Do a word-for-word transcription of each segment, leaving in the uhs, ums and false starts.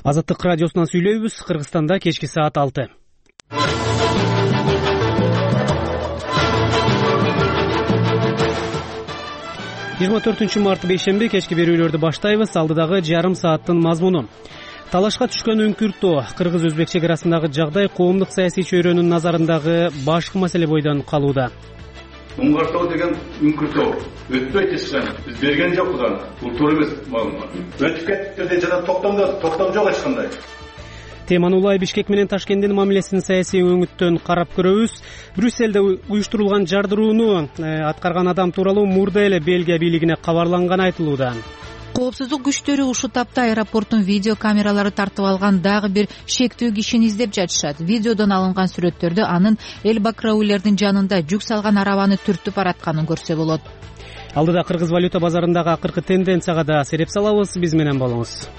Азаттык радиосунан сүйлөйбүз. Кыргызстанда кечки саат алты. жыйырма төртүнчү март бейшемби кечки берүүлөрдү баштайбыз. Алдыдагы жарым сааттын мазмуну: талашка түшкөн үңкүртөө, кыргыз-өзбек чек арасындагы жагдай коомдук саясий чөйрөнүн назарындагы башкы маселе бойдон калууда. Уңгартоо деген үңкүртөө өтпөйт эчким. Биз берген жокпуз аны. Бул туура эмес маалымат. Өтүп кетти деп жана токтомдо токтом жок эч кандай. Теманы улай Бишкек менен Ташкенттин мамилесин саясий өңүттөн карап көрөбүз. Брюсселде уюштурулган жардырууну аткарган адам тууралуу мурда эле Бельгия бийлигине кабарланганы айтылууда. Коопсуздук күчтөрү ушул тапта аэропорттун видео камералары тартып алган дагы бир шектүү кишини издеп жатышат. Видеодон алынган сүрөттөрдө анын Элбакраулердин жанында жүк салган арабаны түртүп баратканын көрсө болот. Алдыда кыргыз валюта базарындагы акыркы тенденцияга да сереп салабыз. Биз менен болуңуз.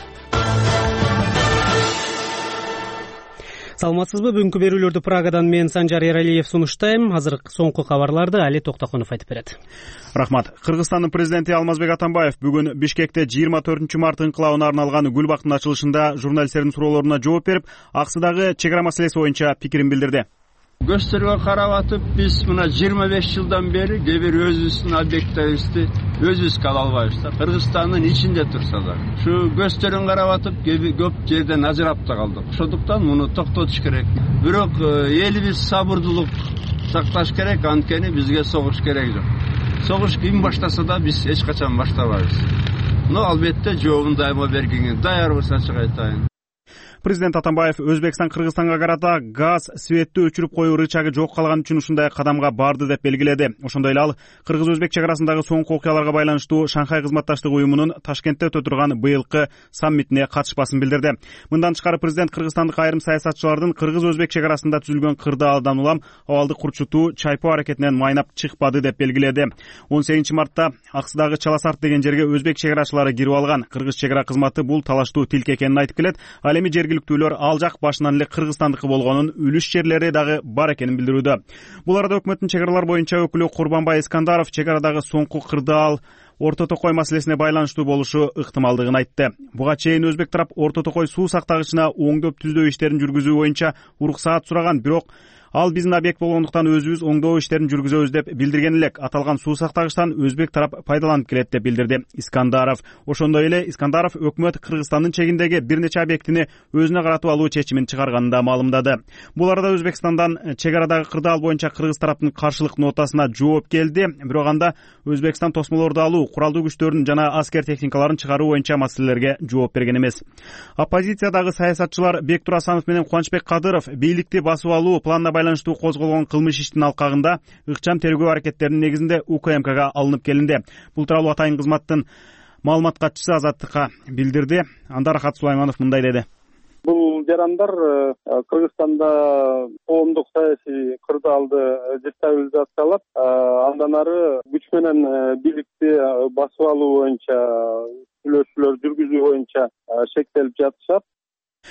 Саламатсызбы? Бүгүнкү берүүлөрдү Прагадан мен Санжар Эралиев сунуштайм. Азыр соңку кабарларды Али Токтокунов айтып берет. Рахмат. Кыргызстандын президенти Алмазбек Атамбаев бүгүн Бишкекте жыйырма төртүнчү март инкылабына арналган гүл бактын ачылышында журналисттердин суроолоруна жооп берип, аксыдагы чек ара маселеси боюнча пикирин билдирди. Көстөргө карап атып, биз мына жыйырма беш жылдан бери кээ бир өзүбүздүн объектибизди өзүбүзгө ала албайбыз да. Кыргызстандын ичинде турса да. Ушу көстөрүн карап атып, көп жерден ажырап да калдык. Ошондуктан муну токтотуш керек. Бирок элибиз сабырдуулук сакташ керек, анткени бизге согуш керек жок. Согуш ким баштаса да биз эч качан баштабайбыз. Но албетте жообун дайыма бергенге даярбыз, ачык айтайын. Президент Атамбаев Өзбекстан Кыргызстанга карата газ светти өчүрүп коюу рычагы жок калган үчүн ушундай кадамга барды деп белгиледи. Ошондой эле ал кыргыз-өзбек чек арасындагы соңку окуяларга байланыштуу Шанхай кызматташтык уюмунун Ташкентте өтө турган быйылкы саммитине катышпасын билдирди. Мындан тышкары президент кыргызстандык айрым саясатчылардын кыргыз-өзбек чек арасында түзүлгөн кырдаалдан улам абалды курчутуу, чайпоо аракетинен майнап чыкпады деп белгиледи. он сегизинчи мартта Аксыдагы Чаласарт деген жерге өзбек чек арачылары кирип алган. Кыргыз чек ара кызматы бул талаштуу тилке экенин айтып келет. Ал эми жергиликтүүлөр ал жак башынан эле Кыргызстандыкы болгонун, үлүш жерлери дагы бар экенин билдирүүдө. Бул арада өкмөттүн чек аралар боюнча өкүлү Курбанбай Искандаров чек арадагы соңку кырдаал Орто Токой маселесине байланыштуу болушу ыктымалдыгын айтты. Буга чейин өзбек тарап Орто Токой суу сактагычына оңдоп түздөө иштерин жүргүзүү боюнча уруксаат сураган, бирок ал биздин объект болгондуктан өзүбүз оңдоо иштерин жүргүзөбүз деп билдирген элек. Аталган суу сактагычтан өзбек тарап пайдаланып келет деп билдирди Искандаров. Ошондой эле Искандаров өкмөт Кыргызстандын чегиндеги бир нече объектини өзүнө каратып алуу чечимин чыгарганын да маалымдады. Бул арада Өзбекстандан чек арадагы кырдаал боюнча кыргыз тараптын каршылык нотасына жооп келди. Бирок анда Өзбекстан тосмолорду алуу, куралдуу күчтөрүн жана аскер техникаларын чыгаруу боюнча маселелерге жооп берген эмес. Оппозициядагы саясатчылар Бектур Асанов менен Кубанычбек Кадыров бийликти басып алуу планына байланыштуу козголгон кылмыш иштин алкагында ыкчам тергөө аракеттеринин негизинде У К М Кга алынып келинди. Бул тууралуу атайын кызматтын маалымат катчысы Азаттыкка билдирди. Анда Рахат Сулайманов мындай деди. Бул жарандар Кыргызстанда коомдук саясий кырдаалды дестабилизациялап, андан ары күч менен бийликти басып алуу боюнча сүйлөшүүлөр жүргүзүү боюнча шектелип жатышат.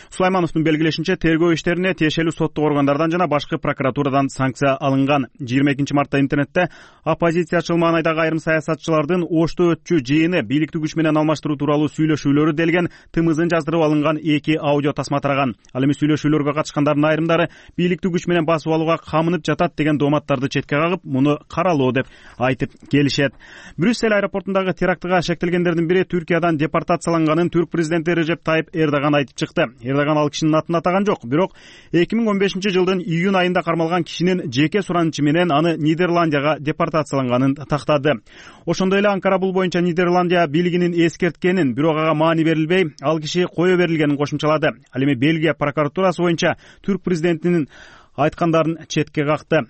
Сулаймановдун белгилешинче, тергөө иштерине тиешелүү соттук органдардан жана башкы прокуратурадан санкция алынган. жыйырма экинчи мартта интернетте оппозициячыл маанайдагы айрым саясатчылардын Ошто өтчү жыйыны бийликти күч менен алмаштыруу тууралуу сүйлөшүүлөрү делген тымызын жаздырып алынган эки аудио тасма тараган. Ал эми сүйлөшүүлөргө катышкандардын айрымдары бийликти күч менен басып алууга камынып жатат деген дооматтарды четке кагып, муну каралоо деп айтып келишет. Брюссель аэропортундагы терактыга шектелгендердин бири Түркиядан депортацияланганын түрк президенти Режеп Тайып Эрдоган айтып чыкты. Эрдоган ал кишинин атын атаган жок, бирок эки миң он бешинчи жылдын июнь айында кармалган кишинин жеке суранычы менен аны Нидерландияга депортацияланганын тактады. Ошондой эле Анкара бул боюнча Нидерландия бийлигинин эскерткенин, бирок ага маани берилбей, ал киши кое берилгенин кошумчалады. Ал эми Бельгия прокуратурасы боюнча түрк президентинин айткандарын четке какты.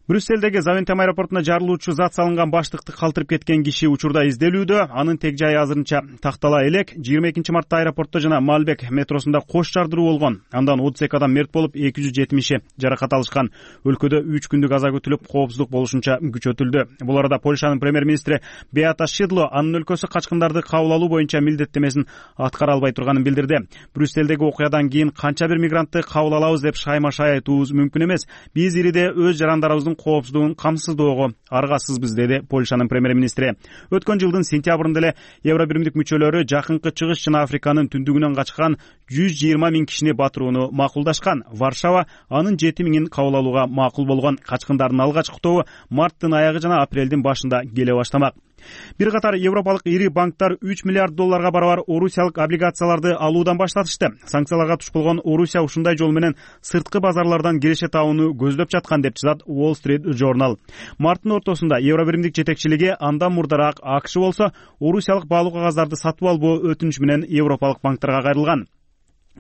Брюсселдеги Завентем аэропортуна жарылуучу зат салынган баштыкты калтырып кеткен киши учурда изделүүдө. Анын тег жайы азырынча тактала элек. жыйырма экинчи мартта аэропортто жана Малбек метросунда кош жардыруу болгон. Андан отуз эки адам мерт болуп, эки жүз жетимиши жаракат алышкан. Өлкөдө үч күндүк аза күтүлүп, коопсуздук болушунча күчөтүлдү. Бул арада Польшанын премьер-министри Беата Шидло анын өлкөсү качкындарды кабыл алуу боюнча милдеттемесин аткара албай турганын билдирди. Брюсселдеги окуядан кийин канча бир мигрантты кабыл алабыз деп шайма-шай айтуубуз мүмкүн эмес. Биз ириде өз жарандарыбыздын коопсуздугун камсыздоого аргасызбыз, деди Польшанын премьер-министри. Өткөн жылдын сентябрында эле Евробиримдик мүчөлөрү жакынкы чыгыш жана Африканын түндүгүнөн качкан жүз жыйырма миң кишини батырууну макулдашкан. Варшава анын жети миңин кабыл алууга макул болгон. Качкындардын алгачкы тобу марттын аягы жана апрелдин башында келе баштамак. Бир катар европалык ири банктар үч миллиард долларга барабар орусиялык облигацияларды алуудан баштатышты. Санкцияларга туш болгон Орусия ушундай жол менен сырткы базарлардан киреше табууну көздөп жаткан деп жазат Wall Street Journal. Марттын ортосунда Евробиримдик жетекчилиги андан мурдараак АКШ болсо орусиялык баалуу кагаздарды сатып албоо өтүнүчү менен европалык банктарга кайрылган.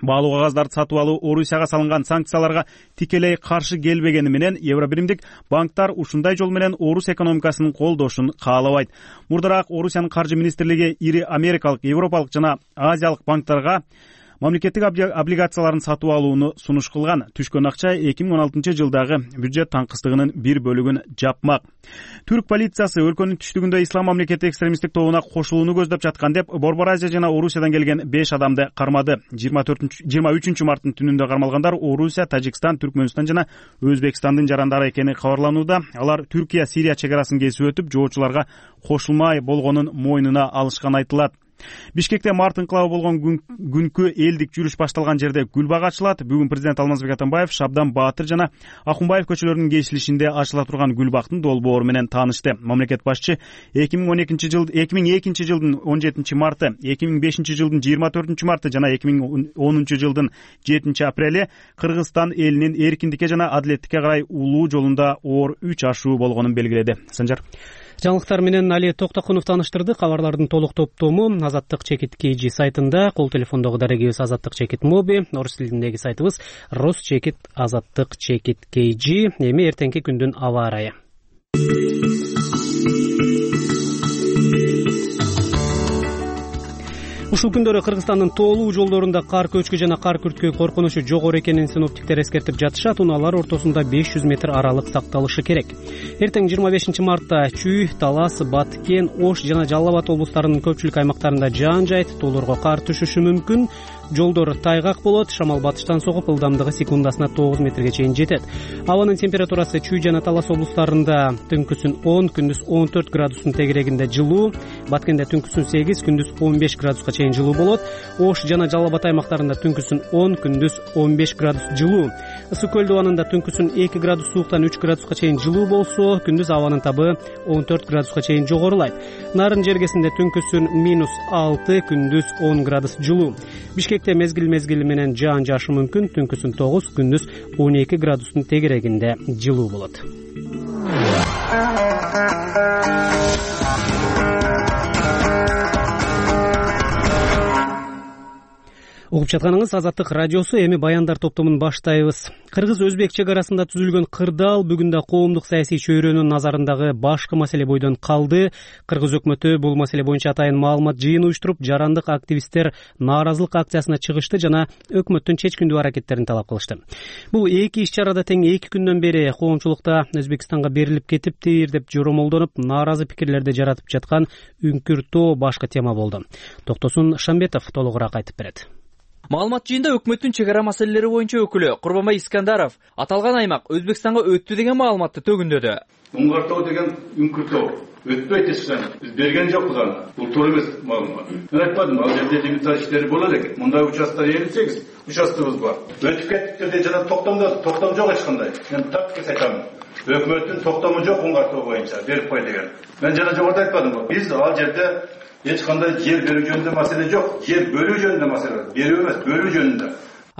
Баалуу кагаздарды сатып алуу Орусияга салынган санкцияларга тикелей каршы келбегени менен Евробиримдик банктар ушундай жол менен орус экономикасынын колдошун каалабайт. Мурдараак Орусиянын каржы министрлиги ири америкалык, европалык жана азиялык банктарга мамлекеттик облигацияларын сатып алууну сунуш кылган. Түшкөн акча эки миң он алтынчы жылдагы бюджет таңкыстыгынын бир бөлүгүн жапмак. Түрк полициясы өлкөнүн түштүгүндө ислам мамлекети экстремисттик тобуна кошулууну көздөп жаткан деп Борбор Азия жана Орусиядан келген беш адамды кармады. жыйырма үчүнчү марттын түнүндө кармалгандар Орусия, Тажикстан, Түркмөнстан жана Өзбекстандын жарандары экени кабарланууда. Алар Түркия Сирия чек арасын кесип өтүп, жоочуларга кошулмай болгонун мойнуна алышкан айтылат. Бишкекте март инкылабы болгон күнкү элдик жүрүш башталган жерде гүл бак ачылат. Бүгүн президент Алмазбек Атамбаев Шабдан Баатыр жана Акунбаев көчөлөрүнүн кесилишинде ачыла турган гүл бактын долбоору менен таанышты. Мамлекет башчы эки миң он экинчи жыл эки миң экинчи жылдын он жетинчи марты, эки миң бешинчи жылдын жыйырма төртүнчү марты жана эки миң онунчу жылдын жетинчи апрели Кыргызстан элинин эркиндикке жана адилеттикке карай улуу жолунда оор үч ашуу болгонун белгиледи. Санжар. Жаңылыктар менен Али Токтокунов тааныштырды. Кабарлардын толук топтому Азаттык чекит kg сайтында, кол телефондогу дарегибиз Азаттык чекит моби, орус тилиндеги сайтыбыз Рус чекит Азаттык чекит kg. Эми эртеңки күндүн аба ырайы. Ушул күндөрү Кыргызстандын тоолуу жолдорунда кар көчкү жана кар күрткү коркунучу жогору экенин синоптиктер эскертип жатышат. Унаалар ортосунда беш жүз метр аралык сакталышы керек. Эртең жыйырма бешинчи мартта Чүй, Талас, Баткен, Ош жана Жалал Абад облустарынын көпчүлүк аймактарында жаан жайт, тоолорго кар түшүшү мүмкүн. Жолдор тайгак болот, шамал батыштан согуп, ылдамдыгы секундасына тогуз метрге чейин жетет. Абанын температурасы Чүй жана Талас облустарында түнкүсүн он, күндүз он төрт градустун тегерегинде жылуу, Баткенде түнкүсүн сегиз, күндүз он беш градуска чейин жылуу болот. Ош жана Жалал Абад аймактарында түнкүсүн он, күндүз он беш градус жылуу. Ысык көл дубанында түнкүсүн эки градус сууктан үч градуска чейин жылуу болсо, күндүз абанын табы он төрт градуска чейин жогорулайт. Нарын жергесинде түнкүсүн минус алты, күндүз он градус жылуу. Бишкекте мезгил мезгили менен жаан жаашы мүмкүн, түнкүсүн тогуз, күндүз он эки градустун тегерегинде жылуу болот. Угуп жатканыңыз Азаттык радиосу. Эми баяндар топтомун баштайбыз. Кыргыз-Өзбек чек арасында түзүлгөн кырдаал бүгүн да коомдук саясий чөйрөнүн назарындагы башкы маселе бойдон калды. Кыргыз өкмөтү бул маселе боюнча атайын маалымат жыйыны уюштуруп, жарандык активисттер нааразылык акциясына чыгышты жана өкмөттүн чечкиндүү аракеттерин талап кылышты. Бул эки иш чарада тең эки күндөн бери коомчулукта Өзбекстанга берилип кетиптир деп жоромолдонуп, нааразы пикирлерди жаратып жаткан Үңкүр тоо башкы тема болду. Токтосун Шамбетов толугураак айтып берет. Маалымат жыйында өкмөттүн чек ара маселелери боюнча өкүлү Курбанбай Искандаров аталган аймак Өзбекстанга өттү деген маалыматты төгүндөдү. Уңгар тоо деген Үңкүр тоо өтпөйт эчкан. Биз берген жокпуз аны. Бул туура эмес маалымат. Мен айтпадым, ал жерде лимиттер иштери болот экен. Мындай участтар элүү сегиз участогубуз бар. Өтүп кеттиктерде жана токтомдо токтом жок эч кандай. Мен так эс айтам. Өкмөттүн токтому жок Уңгар тоо боюнча берип кой деген. Мен жана жогоруда айтпадымбы? Биз ал жерде эч кандай жер берүү жөнүндө маселе жок. Жер бөлүү жөнүндө маселе бар. Берүү эмес, бөлүү жөнүндө.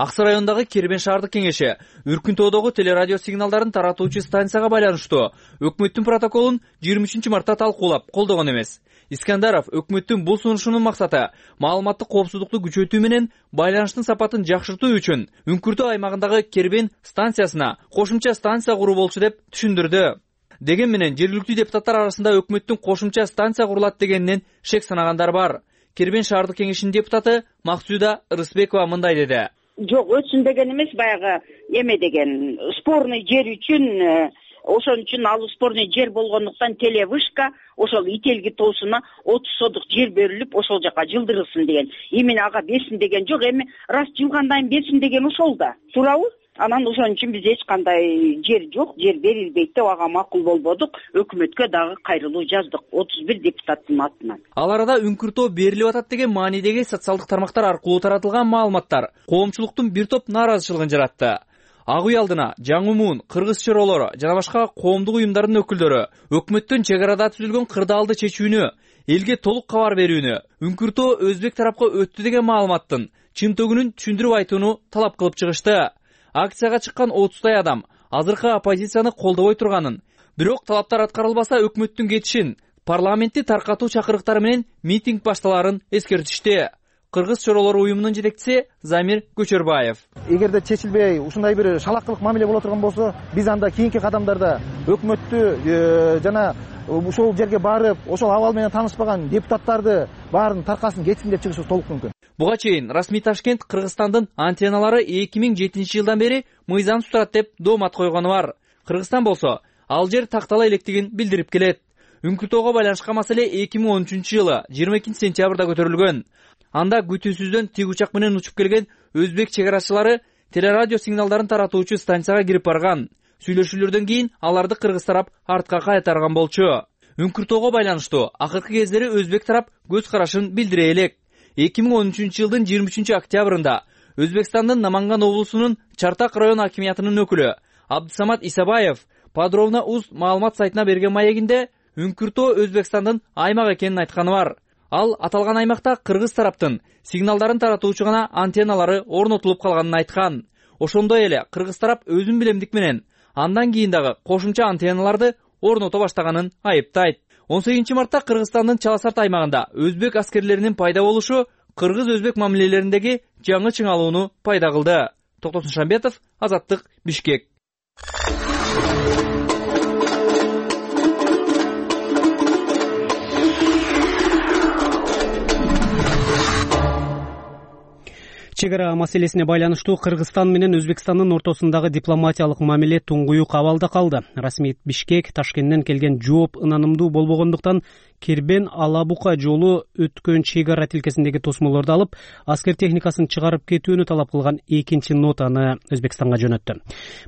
Аксы районундагы Кербен шаардык кеңеши Үркүн тоодогу телерадио сигналдарын таратуучу станцияга байланыштуу өкмөттүн протоколун жыйырма үчүнчү мартта талкуулап колдогон эмес. Искандаров өкмөттүн бул сунушунун максаты маалыматтык коопсуздукту күчөтүү менен байланыштын сапатын жакшыртуу үчүн Үңкүр тоо аймагындагы Кербен станциясына кошумча станция куруу болчу деп түшүндүрдү. Деген менен жергиликтүү депутаттар арасында өкмөттүн кошумча станция курулат дегенинен шек санагандар бар. Кербен шаардык кеңешинин депутаты Максуда Рысбекова мындай деди. Жок, өтсүн деген эмес, баягы эме деген спорный жер үчүн, ошон үчүн ал спорный жер болгондуктан телевышка ошол Ителги тоосуна отуз содук жер берилип, ошол жака жылдырылсын деген. Эмне ага берсин деген жок, эми раз жылгандан берсин деген ошол да. Туурабы? анан ошон үчүн бизде эч кандай жер жок, жер берилбейт деп ага макул болбодук. Өкмөткө дагы кайрылуу жаздык отуз бир депутаттын атынан. Ал арада үңкүртөө берилип атат деген маанидеги социалдык тармактар аркылуу таратылган маалыматтар коомчулуктун бир топ нааразычылыгын жаратты. Ак үй алдына Жаңумун, Кыргыз чоролору жана башка коомдук уюмдардын өкүлдөрү өкмөттүн чек арада түзүлгөн кырдаалды чечүүнү, элге толук кабар берүүнү, үңкүртөө өзбек тарапка өттү деген маалыматтын чын төгүнүн түшүндүрүп айтууну талап кылып чыгышты. Акцияга чыккан отуздай адам азыркы оппозицияны колдобой турганын, бирок талаптар аткарылбаса өкмөттүн кетишин, парламентти таркатуу чакырыктары менен митинг башталарын эскертишти. Кыргыз чоролору уюмунун жетекчиси Замир Көчөрбаев: эгерде чечилбей ушундай бир шалакылык мамиле боло турган болсо, биз анда кийинки кадамдарда өкмөттү жана ошол жерге барып, ошол абал менен таанышпаган депутаттарды баарын таркасын кетсин деп чыгышыбыз толук мүмкүн. Буга чейин расмий Ташкент Кыргызстандын антенналары эки миң жетинчи жылдан бери мыйзам турат деп доомат койгону бар. Кыргызстан болсо ал жер тактала электигин билдирип келет. Үңкүртөөгө байланышкан маселе эки миң он үчүнчү жылы жыйырма экинчи сентябрда көтөрүлгөн. Анда күтүүсүздөн тик учак менен учуп келген өзбек чек арачылары телерадио сигналдарын таратуучу станцияга кирип барган. Сүйлөшүүлөрдөн кийин аларды кыргыз тарап артка кайтарган болчу. Үңкүртөөгө байланыштуу акыркы кездери өзбек тарап көз карашын билдире элек. эки миң он үчүнчү жылдын жыйырма үчүнчү октябрында Өзбекстандын Наманган облусунун Чартак район акимиятынын өкүлү Абдысамат Исабаев Подробно уз маалымат сайтына берген маегинде үңкүртөө Өзбекстандын аймак экенин айтканы бар. Ал аталган аймакта кыргыз тараптын сигналдарын таратуучу гана антенналары орнотулуп калганын айткан. Ошондой эле кыргыз тарап өзүн билемдик менен андан кийин дагы кошумча антенналарды орното баштаганын айыптайт. он сегизинчи мартта Кыргызстандын Чаласарт аймагында өзбек аскерлеринин пайда болушу кыргыз-өзбек мамилелериндеги жаңы чыңалууну пайда кылды. Токтосун Шамбетов, Азаттык, Бишкек. Чек ара маселесине байланыштуу Кыргызстан менен Өзбекстандын ортосундагы дипломатиялык мамиле туңгуюк абалда калды. Расмий Бишкек Ташкенттен келген жооп ынанымдуу болбогондуктан Кербен Алабука жолу өткөн чек ара тилкесиндеги тосмолорду алып, аскер техникасын чыгарып кетүүнү талап кылган экинчи нотаны Өзбекстанга жөнөттү.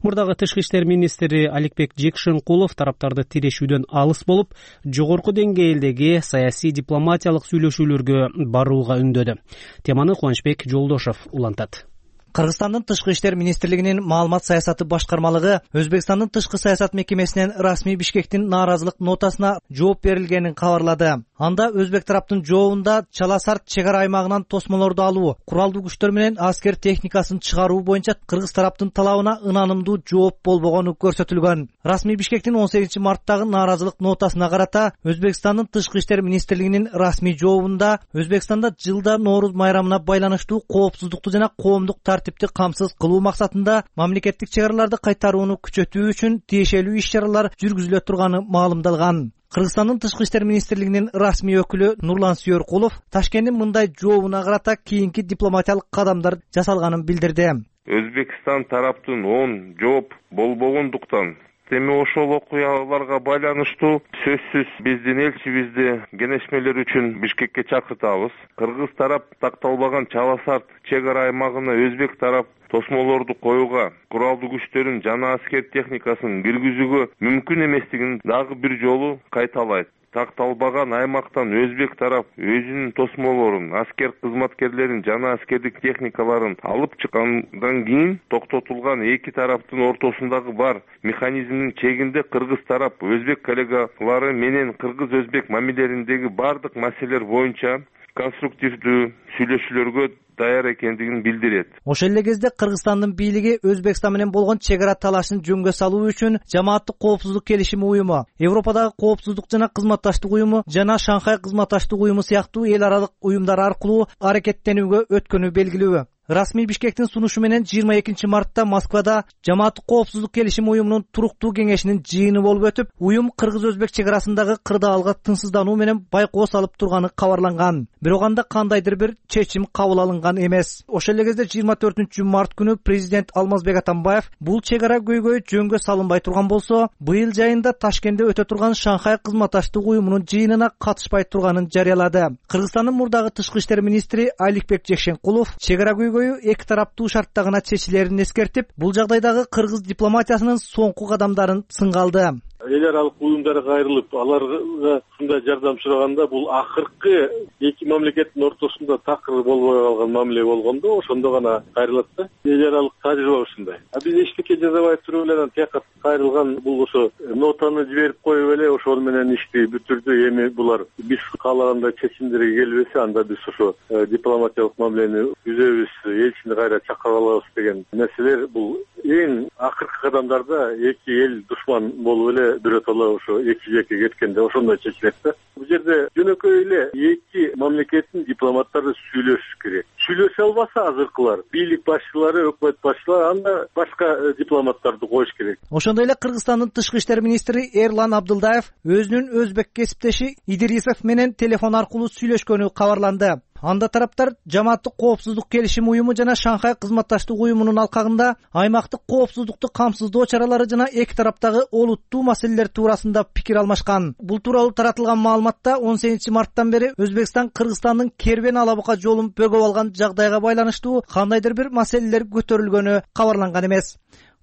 Мурдагы тышкы иштер министри Аликбек Жекшенкулов тараптарды тирешүүдөн алыс болуп, жогорку деңгээлдеги саясий дипломатиялык сүйлөшүүлөргө барууга үндөдү. Теманы Кубанычбек Жолдошов улантат. Кыргызстандын тышкы иштер министрлигинин маалымат саясаты башкармалыгы Өзбекстандын тышкы саясат мекемесинен расмий Бишкектин нааразылык нотасына жооп берилгенин кабарлады. Анда өзбек тараптын жообунда Чаласарт чек ара аймагынан тосмолорду алуу, куралдуу күчтөр менен аскер техникасын чыгаруу боюнча кыргыз тараптын талабына ынанымдуу жооп болбогону көрсөтүлгөн. Расмий Бишкектин он сегизинчи марттагы нааразылык нотасына карата Өзбекстандын тышкы иштер министрлигинин расмий жообунда Өзбекстанда жылда Нооруз майрамына байланыштуу коопсуздукту жана коомдук тартипти камсыз кылуу максатында мамлекеттик чек араларды кайтарууну күчөтүү үчүн тиешелүү иш-чаралар жүргүзүлө турганы маалымдалган. Кыргызстандын тышкы иштер министрлигинин расмий өкүлү Нурлан Сүйөркулов Ташкенттин мындай жообуна карата кийинки дипломатиялык кадамдар жасалганын билдирди. Өзбекстан тараптын оң жооп болбогондуктан эми ошол окуяларга байланыштуу сөзсүз биздин элчибизди кеңешмелер үчүн Бишкекке чакыртабыз. Кыргыз тарап такталбаган Чаласарт чек ара аймагына өзбек тарап тосмолорду коюуга, куралдуу күчтөрүн жана аскер техникасын киргизүүгө мүмкүн эместигин дагы бир жолу кайталайт. Такталбаган аймактан өзбек тарап өзүнүн тосмолорун, аскер кызматкерлерин жана аскердик техникаларын алып чыккандан кийин токтотулган эки тараптын ортосундагы бар механизмдин чегинде кыргыз тарап өзбек коллегалары менен кыргыз-өзбек мамилелериндеги бардык маселелер боюнча конструктивдүү сүйлөшүүлөргө даяр экендигин билдирет. Ошол эле кезде Кыргызстандын бийлиги Өзбекстан менен болгон чек ара талашын жөнгө салуу үчүн Жамааттык коопсуздук келишими уюму, Европадагы коопсуздук жана кызматташтык уюму жана Шанхай кызматташтык уюму сыяктуу эл аралык уюмдар аркылуу аракеттенүүгө өткөнү белгилүү. Расмий Бишкектин сунушу менен жыйырма экинчи мартта Москвада Жамааттык коопсуздук келишими уюмунун туруктуу кеңешинин жыйыны болуп өтүп, уюм кыргыз-өзбек чек арасындагы кырдаалга тынчсыздануу менен байкоо салып турганы кабарланган. Бирок анда кандайдыр бир чечим кабыл алынган эмес. Ошол эле кезде жыйырма төртүнчү март күнү президент Алмазбек Атамбаев бул чек ара көйгөй жөнгө салынбай турган болсо, быйыл жайында Ташкентте өтө турган Шанхай кызматташтык уюмунун жыйынына катышпай турганын жарыялады. Кыргызстандын мурдагы тышкы иштер министри Аликбек Жекшенкулов чек ара көйгөй көйгөйү эки тараптуу шартта гана чечилерин эскертип, бул жагдайдагы кыргыз дипломатиясынын соңку кадамдарын сынга алды. Эл аралык уюмдарга кайрылып, аларга ушундай жардам сураганда бул акыркы эки мамлекеттин ортосунда такыр болбой калган мамиле болгондо ошондо гана кайрылат да. Эл аралык тажрыйба ушундай. А биз эчтеке жасабай туруп эле тияка кайрылган бул ошо нотаны жиберип коюп эле ошол менен ишти бүтүрдү. Эми булар биз каалагандай чечимдерге келбесе, анда биз ошо дипломатиялык мамилени түзөбүз, элчини кайра чакырып алабыз деген нерселер бул эң акыркы кадамдарда эки эл душман болуп эле биротоло ошо эки жеке кеткенде ошондой чечилет да. Бул жерде жөнөкөй эле эки мамлекеттин дипломаттары сүйлөшүш керек. Сүйлөшө албаса азыркылар, бийлик башчылары, өкмөт башчылары, анда башка дипломаттарды коюш керек. Ошондой эле Кыргызстандын тышкы иштер министри Эрлан Абдылдаев өзүнүн өзбек кесиптеши Идрисов менен телефон аркылуу сүйлөшкөнү кабарланды. Анда тараптар жамааттык коопсуздук келишим уюму жана Шанхай кызматташтык уюмунун алкагында аймактык коопсуздукту камсыздоо чаралары жана эки тараптагы олуттуу маселелер туурасында пикир алмашкан. Бул тууралуу таратылган маалыматта он сегизинчи марттан бери Өзбекстан Кыргызстандын Кербен Ала Бука жолун бөгөп алган жагдайга байланыштуу кандайдыр бир маселелер көтөрүлгөнү кабарланган эмес.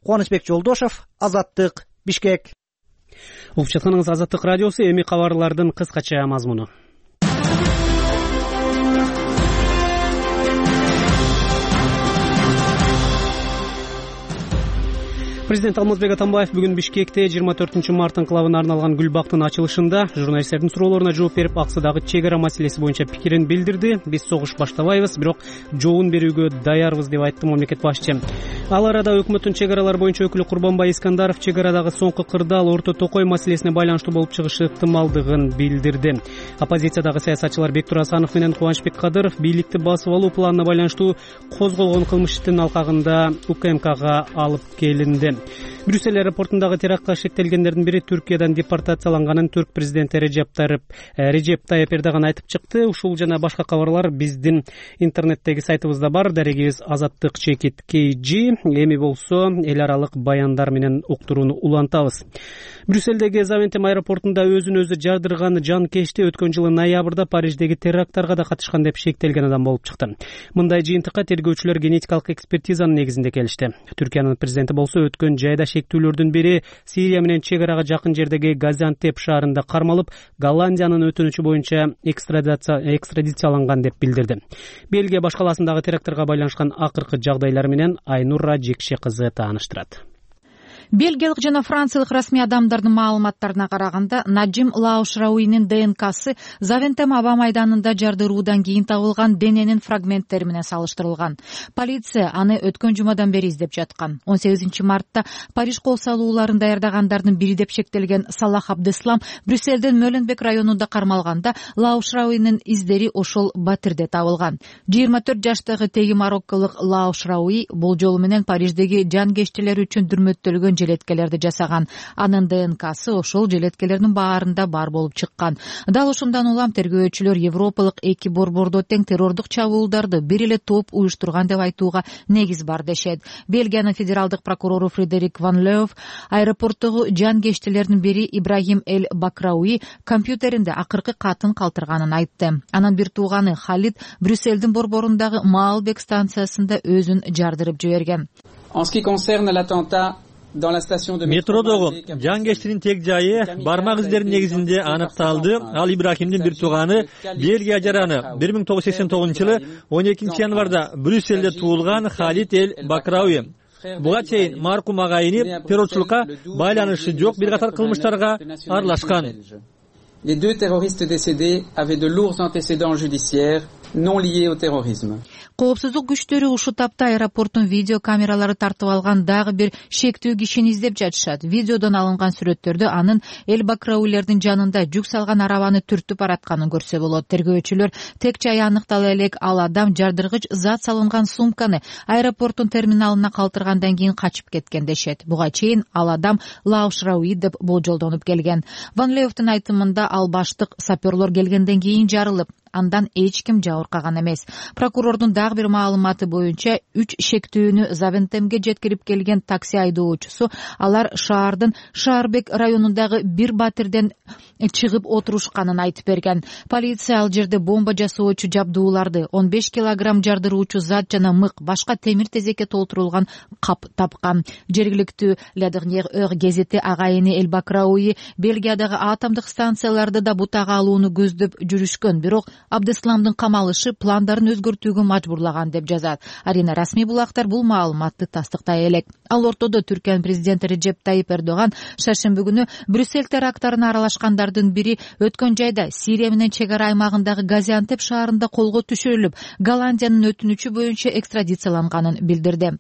Кубанычбек Жолдошов, Азаттык, Бишкек. Угуп жатканыңыз Азаттык радиосу. Эми кабарлардын кыскача мазмуну. Президент Алмазбек Атамбаев бүгүн Бишкекте жыйырма төртүнчү март инкылабына арналган гүл бактын ачылышында журналисттердин суроолоруна жооп берип, аксыдагы чек ара маселеси боюнча пикирин билдирди. Биз согуш баштабайбыз, бирок жообун берүүгө даярбыз деп айтты мамлекет башчы. Ал арада өкмөттүн чек аралар боюнча өкүлү Курбанбай Искандаров чек арадагы соңку кырдаал Орто Токой маселесине байланыштуу болуп чыгышы ыктымалдыгын билдирди. Оппозициядагы саясатчылар Бектур Асанов менен Кубанычбек Кадыров бийликти басып алуу планына байланыштуу козголгон кылмыш иштин алкагында УКМКга алып келинди. Брюссель аэропортундагы терактка шектелгендердин бири Түркиядан депортацияланганын Түрк президенти Режеп Тайып Эрдоган айтып чыкты. Ушул жана башка кабарлар биздин интернеттеги сайтыбызда бар. Дарегибиз азаттык чекит кей джи. Эми болсо эл аралык баяндар менен уктурууну улантабыз. Брюссельдеги Завентем аэропортунда өзүн өзү жардырган жанкечти өткөн жылы ноябрда Париждеги теракттарга да катышкан деп шектелген адам болуп чыкты. Мындай жыйынтыкка тергөөчүлөр генетикалык экспертизанын негизинде келишти. Түркиянын президенти болсо өткөн жайда шектүүлөрдүн бири Сирия менен чек арага жакын жердеги Газиантеп шаарында кармалып, Голландиянын өтүнүчү боюнча экстрадицияланган деп билдирди. Бельгия баш каласындагы теракттарга байланышкан акыркы жагдайлар менен Айнура Жекше кызы тааныштырат. Бельгиялык жана франциялык расмий адамдардын маалыматтарына караганда, Наджим Лаушрауинин ДНКсы Завентем аба майданында жардыруудан кийин табылган дененин фрагменттери менен салыштырылган. Полиция аны өткөн жумадан бери издеп жаткан. он сегизинчи мартта Париж кол салууларын даярдагандардын бири деп шектелген Салах Абдеслам Брюссельдин Мөленбек районунда кармалганда, Лаушрауинин издери ошол батирде табылган. жыйырма төрт жаштагы теги марокколук Лаушрауи бул жолу менен Париждеги жанкечтилер үчүн дүрмөттөлгөн желеткелерди жасаган. Анын ДНКсы ошол желеткелердин баарында бар болуп чыккан. Дал ошондон улам тергөөчүлөр Европалык эки борбордо тең террордук чабуулдарды бир эле топ уюштурган деп айтууга негиз бар дешет. Бельгиянын федералдык прокурору Фредерик Ван Леов аэропорттогу жанкечтилердин бири Ибрахим Эль Бакрауи компьютеринде акыркы катын калтырганын айтты. Анын бир тууганы Халид Брюссельдин борборундагы Маалбек станциясында өзүн жардырып жиберген. Метродогу жанкечтинин тег жайы бармак издеринин негизинде аныкталды. Ал Ибрахимдин бир тууганы, Бельгия жараны. бир миң тогуз жүз сексен тогузунчу жылы он экинчи январда Брюссельде туулган Халид Эль Бакрауи. Буга чейин маркум агайыны террорчулукка байланышы жок бир катар кылмыштарга аралашкан. Les deux terroristes décédés avaient de lourds antécédents judiciaires non liés au terrorisme. Коопсуздук күчтөрү ушул тапта аэропорттун видео камералары тартып алган дагы бир шектүү кишини издеп жатышат. Видеодон алынган сүрөттөрдө анын Эль Бакраулердин жанында жүк салган арабаны түртүп баратканын көрсө болот. Тергөөчүлөр тег жайы аныктала элек ал адам жардыргыч зат салынган сумканы аэропорттун терминалына калтыргандан кийин качып кеткен дешет. Буга чейин ал адам Лаушрауи деп болжолдонуп келген. Ван Леовдун айтымында ал баштык саперлор келгенден кийин жарылып, андан эч ким жабыркаган эмес. Прокурордун дагы бир маалыматы боюнча үч шектүүнү Завентемге жеткирип келген такси айдоочусу алар шаардын Шаарбек районундагы бир батирден чыгып отурушканын айтып берген. Полиция ал жерде бомба жасоочу жабдууларды, он беш килограмм жардыруучу зат жана мык, башка темир тезекке толтурулган кап тапкан. Жергиликтүү La Dernière Heure гезити агайыны Эль Бакрауи Бельгиядагы атомдук станцияларды да бутага алууну көздөп жүрүшкөн, бирок Абдесламдын камалышы пландарын өзгөртүүгө мажбурлаган деп жазат. Арина расмий булактар бул маалыматты тастыктай элек. Ал ортодо Түркиянын президенти Реджеп Тайип Эрдоган шаршемби күнү Брюссель терактарына аралашкандардын бири өткөн жайда Сирия менен чек ара аймагындагы Газиантеп шаарында колго түшүрүлүп, Голландиянын өтүнүчү боюнча экстрадицияланганын билдирди.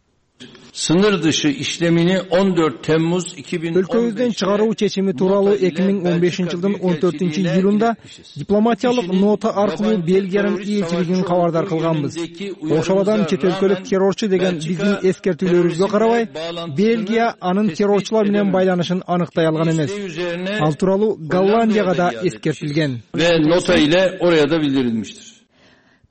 Sınır dışı işlemini on dört Temmuz iki bin on beş өлкөбүздөн чыгаруу чечими тууралуу эки миң он бешинчи жылдын он төртүнчү июлунда дипломатиялык нота аркылуу Бельгиянын элчилигин кабардар кылганбыз. Ошол адам чет өлкөлүк террорчу деген биздин эскертүүлөрүбүзгө карабай, Бельгия анын террорчулар менен байланышын аныктай алган эмес. Ал тууралуу Голландияга да эскертилген. Ve nota ile oraya da bildirilmiştir.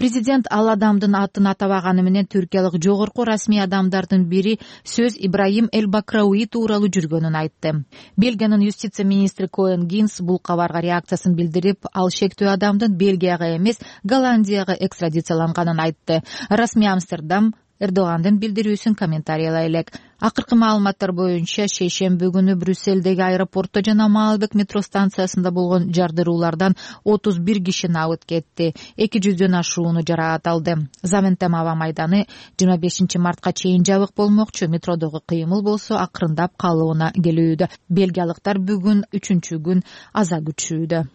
Президент ал адамдын атын атабаганы менен түркиялык жогорку расмий адамдардын бири сөз Ибраим Эль Бакрауи тууралуу жүргөнүн айтты. Бельгиянын юстиция министри Коэн Гинс бул кабарга реакциясын билдирип, ал шектүү адамдын Бельгияга эмес, Голландияга экстрадицияланганын айтты. Расмий Амстердам Эрдогандын билдирүүсүн комментариялай элек. Акыркы маалыматтар боюнча шейшемби күнү Брюссельдеги аэропортто жана Маалбек метро станциясында болгон жардыруулардан отуз бир киши набыт кетти. эки жүздөн ашууну жараат алды. Завентем аба майданы жыйырма бешинчи мартка чейин жабык болмокчу. Метродогу кыймыл болсо акырындап калыбына келүүдө. Бельгиялыктар бүгүн үчүнчү күн аза күтүшүүдө,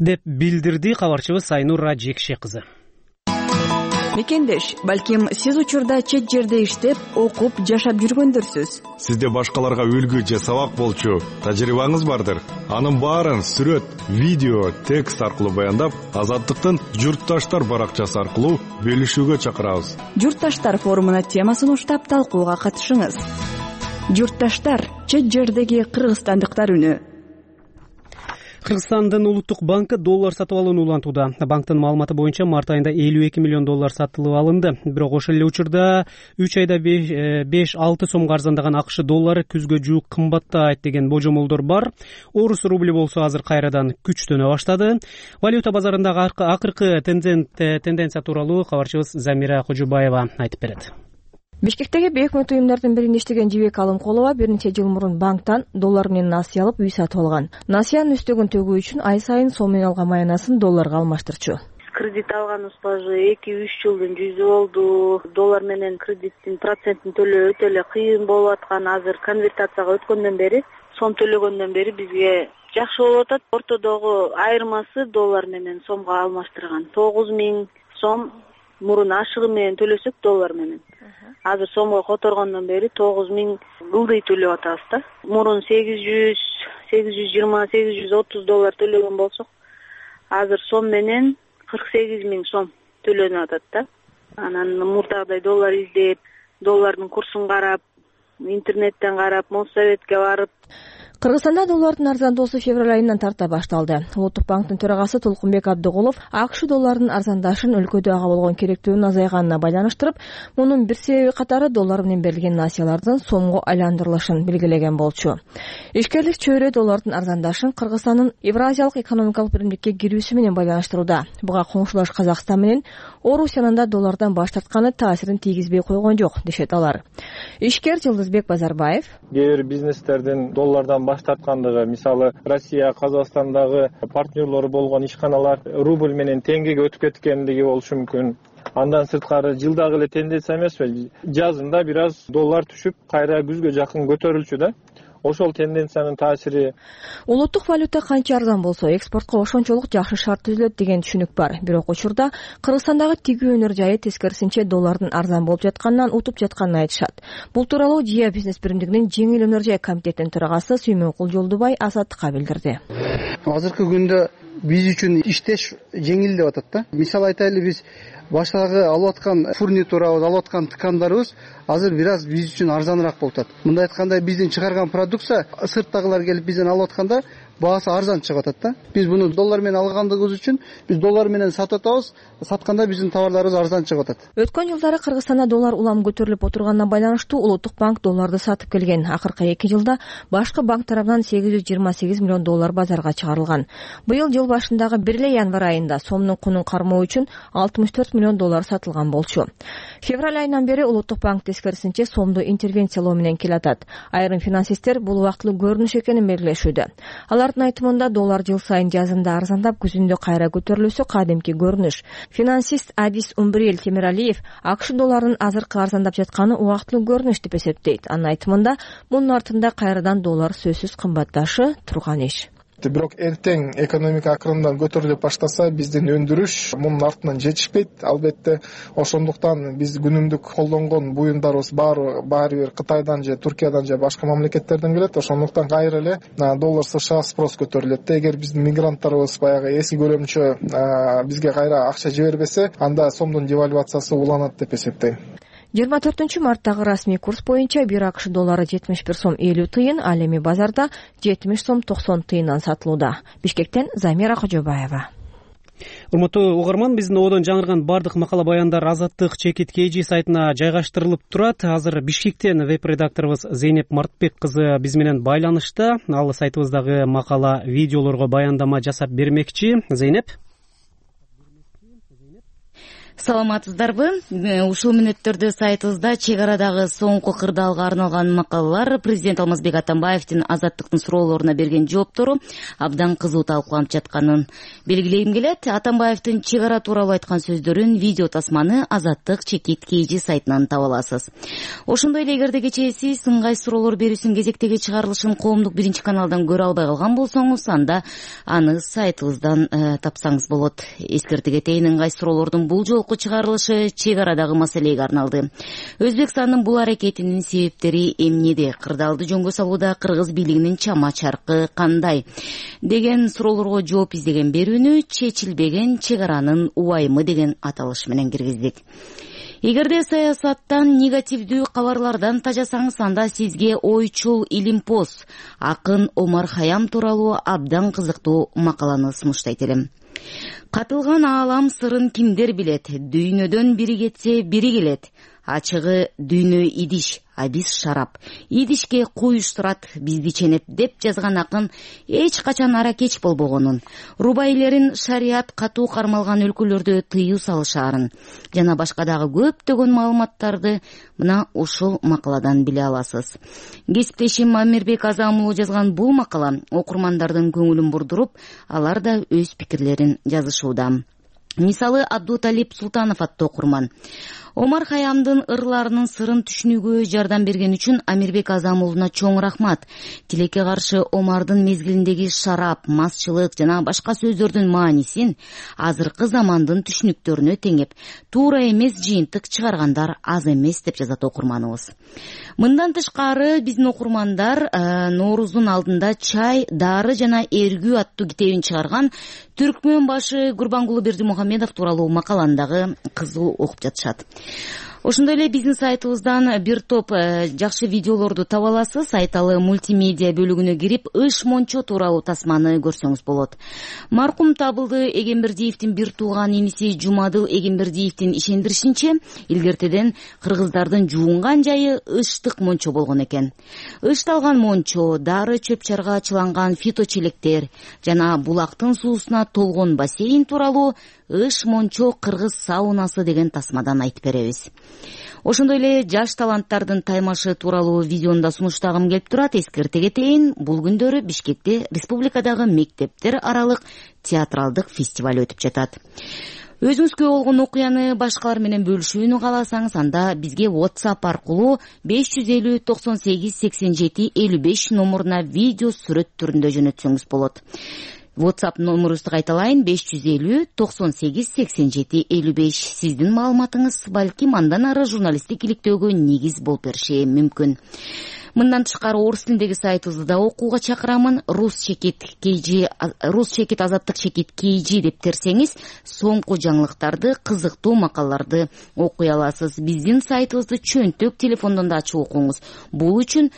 деп билдирди кабарчыбыз Айнур Раджекше кызы. Мекендеш, балким сиз учурда чет жерде иштеп, окуп, жашап жүргөндөрсүз. Сизде башкаларга үлгү же сабак болчу тажрыйбаңыз бардыр. Анын баарын сүрөт, видео, текст аркылуу баяндап, Азаттыктын Журтташтар баракчасы аркылуу бөлүшүүгө чакырабыз. Журтташтар форумуна темасын уштап талкууга катышыңыз. Журтташтар — чет жердеги кыргызстандыктар үнү. Кыргызстандын улуттук банкы доллар сатып алууну улантууда. Банктын маалыматы боюнча март айында элүү эки миллион доллар сатылып алынды. Бирок ошол эле учурда үч айда беш алты сомго арзандаган АКШ доллары күзгө жуук кымбаттайт деген божомолдор бар. Орус рубли болсо азыр кайрадан күчтөнө баштады. Валюта базарындагы акыркы тенденция тууралуу кабарчыбыз Замира Кожубаева айтып берет. Бишкектеги бейөкмөт уюмдардын биринде иштеген Жибек Алымкулова бир нече жыл мурун банктан доллар менен насыя алып үй сатып алган. Насыянын үстөгүн төгүү үчүн ай сайын сом менен алган маянасын долларга алмаштырчу. Кредит алганыбызга эки үч жылдын жүзү болду. Доллар менен кредиттин процентин төлөө өтө эле кыйын болуп аткан. Азыр конвертацияга өткөндөн бери, сом төлөгөндөн бери бизге жакшы болуп атат. Ортодогу айырмасы доллар менен сомго алмаштырган. тогуз миң сом мурун ашыгы менен төлөсөк доллар менен. Азыр сомго которгондон бери тогуз миң ылдый төлөп атабыз да. Мурун сегиз жүз, сегиз жүз жыйырма, сегиз жүз отуз доллар төлөгөн болсок, азыр сом менен кырк сегиз миң сом төлөнүп атат да. Анан мурдагыдай доллар издеп, доллардын курсун карап, интернеттен карап, Моссоветке барып. Кыргызстанда доллардын арзандоосу февраль айынан тарта башталды. Улуттук банктын төрагасы Толкунбек Абдыгулов АКШ долларынын арзандашын өлкөдө ага болгон керектүүнүн азайганына байланыштырып, мунун бир себеби катары доллар менен берилген насыялардын сомго айландырылышын белгилеген болчу. Ишкерлик чөйрө доллардын арзандашын Кыргызстандын Евразиялык экономикалык биримдикке кирүүсү менен байланыштырууда. Буга коңшулаш Казакстан менен Орусиянын да доллардан баш тартканы таасирин тийгизбей койгон жок, дешет алар. Ишкер Жылдызбек Базарбаев: кээ бир бизнестердин доллардан баш тарткандыгы, мисалы Россия, Казакстандагы партнерлору болгон ишканалар рубль менен теңгеге өтүп кеткендиги болушу мүмкүн. Андан сырткары жылдагы эле тенденция эмеспи? Жазында бир аз доллар түшүп, кайра күзгө жакын көтөрүлчү да. Ошол тенденциянын таасири. Улуттук валюта канча арзан болсо, экспортко ошончолук жакшы шарт түзүлөт деген түшүнүк бар. Бирок учурда Кыргызстандагы тигүү өнөр жайы тескерисинче доллардын арзан болуп жатканынан утуп жатканын айтышат. Бул тууралуу ЖИА бизнес биримдигинин жеңил өнөр жай комитетинин төрагасы Сүймөнкул Жолдубай Азаттыкка билдирди. Азыркы күндө биз үчүн иштеш жеңил деп атат да. Мисалы айтайлы, биз баштагы алып аткан фурнитурабыз, алып аткан ткандарыбыз азыр бир аз биз үчүн арзаныраак болуп атат. Мындай айтканда, биздин чыгарган продукция сырттагылар келип бизден алып атканда баасы арзан чыгып атат да. Биз буну доллар менен алгандыгыбыз үчүн биз доллар менен сатып атабыз, сатканда биздин товарларыбыз арзан чыгып атат. Өткөн жылдары Кыргызстанда доллар улам көтөрүлүп отурганына байланыштуу Улуттук банк долларды сатып келген. Акыркы эки жылда башкы банк тарабынан сегиз жүз жыйырма сегиз миллион доллар базарга чыгарылган. Быйыл жыл башындагы бир эле январь айында сомдун кунун кармоо үчүн алтымыш төрт миллион доллар сатылган болчу. Февраль айынан бери Улуттук банк тескерисинче сомду интервенциялоо менен келатат. Айрым финансисттер бул убактылуу көрүнүш экенин белгилешүүдө. Алардын айтымында доллар жыл сайын жазында арзандап, күзүндө кайра көтөрүлүшү кадимки көрүнүш. Финансист Адис Умбриел Темиралиев АКШ долларынын азыркы арзандап жатканы убактылуу көрүнүш деп эсептейт. Анын айтымында мунун артында кайрадан доллар сөзсүз кымбатташы турган иш. Бирок эртең экономика акырындан көтөрүлө баштаса, биздин өндүрүш мунун артынан жетишпейт. Албетте, ошондуктан биз күнүмдүк колдонгон буюмдарыбыз баары баары бир Кытайдан же Туркиядан же башка мамлекеттерден келет. Ошондуктан кайра эле доллар США спрос көтөрүлөт. Эгер биздин мигранттарыбыз баягы эски көлөмчө бизге кайра акча жибербесе, анда сомдун девальвациясы уланат деп эсептейм. жыйырма төртүнчү марттагы расмий курс боюнча бир АКШ доллары жетимиш бир сом элүү тыйын, ал эми базарда жетимиш сом токсон тыйындан сатылууда. Бишкектен Замира Кожобаева. Урматтуу угарман, биздин одон жаңырган бардык макала баяндар Азаттык Чекит кей жи сайтына жайгаштырылып турат. Азыр Бишкектен веб-редакторубуз Зейнеп Мартбек кызы биз менен байланышта. Ал сайтыбыздагы макала, видеолорго баяндама жасап бермекчи. Зейнеп. Саламатсыздарбы? Ушул мүнөттөрдө сайтыбызда чек арадагы соңку кырдаалга арналган макалалар, президент Алмазбек Атамбаевдин Азаттыктын суроолоруна берген жооптору абдан кызуу талкууланып жатканын белгилейм келет. Атамбаевдин чек ара тууралуу айткан сөздөрүн, видео тасманы Азаттык Чекит кей жи сайтынан таба аласыз. Ошондой эле эгерде кечээ сиз ыңгай суроолор берүүсүн кезектеги чыгарылышын коомдук биринчи каналдан көрө албай калган болсоңуз, анда аны сайтыбыздан э, тапсаңыз болот. Эскерте кетейин, ыңгай суроолордун бул жолку чыгарылышы чек арадагы маселеге арналды. Өзбекстандын бул аракетинин себептери эмнеде? Кырдаалды жөнгө салууда кыргыз бийлигинин чама чаркы кандай? Деген суроолорго жооп издеген берүүнү чечилбеген чек аранын убайымы деген аталыш менен киргиздик. Эгерде саясаттан, негативдүү кабарлардан тажасаңыз, анда сизге ойчул Илимпоз акын Омар Хаям тууралуу абдан кызыктуу макаланы сунуштайт элем. Катылган аалам сырын кимдер билет? Дүйнөдөн бири кетсе, бири келет. Ачыгы дүйнө идиш, а биз шарап. Идишке куюштурат бизди ченеп деп жазган акын эч качан ара кеч болбогонун, рубайлерин шарият катуу кармалган өлкөлөрдө тыюу салышаарын жана башка дагы көптөгөн маалыматтарды мына ушул макаладан биле аласыз. Кесиптешим Амирбек Азамулу жазган бул макала окурмандардын көңүлүн бурдуруп, алар да өз пикирлерин жазышууда. Мисалы, Абдуталип Султанов аттуу окурман: Омар Хаямдын ырларынын сырын түшүнүүгө жардам берген үчүн Амирбек Азамулуна чоң рахмат. Тилекке каршы Омардын мезгилиндеги шарап, масчылык жана башка сөздөрдүн маанисин азыркы замандын түшүнүктөрүнө теңеп, туура эмес жыйынтык чыгаргандар аз эмес деп жазат окурманыбыз. Мындан тышкары биздин окурмандар ә, Нооруздун алдында чай, дары жана эргүү аттуу китебин чыгарган Түркмөн башы Гурбангулу Бердимухамедов тууралуу макаландагы кызуу окуп жатышат. Ошондой эле биздин сайтыбыздан бир топ жакшы видеолорду таба аласыз. Айталы мультимедиа бөлүгүнө кирип, ыш мончо тууралуу тасманы көрсөңүз болот. Маркум Табылды Эгембердиевдин бир тууган иниси Жумадыл Эгембердиевдин ишендиришинче, илгертеден кыргыздардын жуунган жайы ыштык мончо болгон экен. Ышталган мончо, дары чөп чарга чыланган фиточелектер жана булактын суусуна толгон бассейн тууралуу ыш мончо кыргыз саунасы деген тасмадан айтып беребиз. Ошондой эле жаш таланттардын таймашы тууралуу видеону да сунуштагым келип турат. Эскерте кетейин, бул күндөрү Бишкекте республикадагы мектептер аралык театралдык фестиваль өтүп жатат. Өзүңүзгө болгон окуяны башкалар менен бөлүшүүнү кааласаңыз, анда бизге WhatsApp аркылуу беш жүз элүү токсон сегиз сексен жети элүү беш номуруна видео сүрөт түрүндө жөнөтсөңүз болот. WhatsApp номерубузду кайталайын: беш жүз элүү токсон сегиз сексен жети элүү беш. Сиздин маалыматыңыз балким андан ары журналисттик иликтөөгө негиз болуп бериши мүмкүн. Мындан тышкары орус тилиндеги сайтыбызды да окууга чакырамын. Рус чекит кей жи, Рус чекит Азаттык Чекит кей жи деп терсеңиз, соңку жаңылыктарды, кызыктуу макалаларды окуй аласыз. Биздин сайтыбызды чөнтөк телефондон да ачып окуңуз. Бул үчүн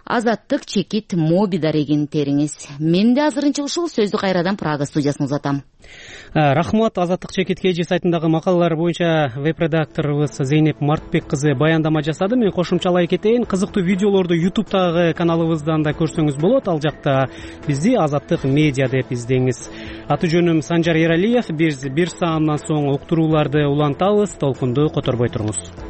Азаттык чекит моби дарегин териңиз. Менде азырынча ушул. Сөздү кайрадан Прага студиясына узатам. Рахмат. Азаттык чекит kg сайтындагы макалалар боюнча веб-редакторубуз Зейнеп Мартбек кызы баяндама жасады. Мен кошумчалай кетейин. Кызыктуу видеолорду ютубтагы каналыбыздан да көрсөңүз болот. Ал жакта бизди Азаттык медиа деп издеңиз. Аты жөнүм Санжар Эралиев. Биз бир саамдан соң уктурууларды улантабыз. Толкунду которбой туруңуз.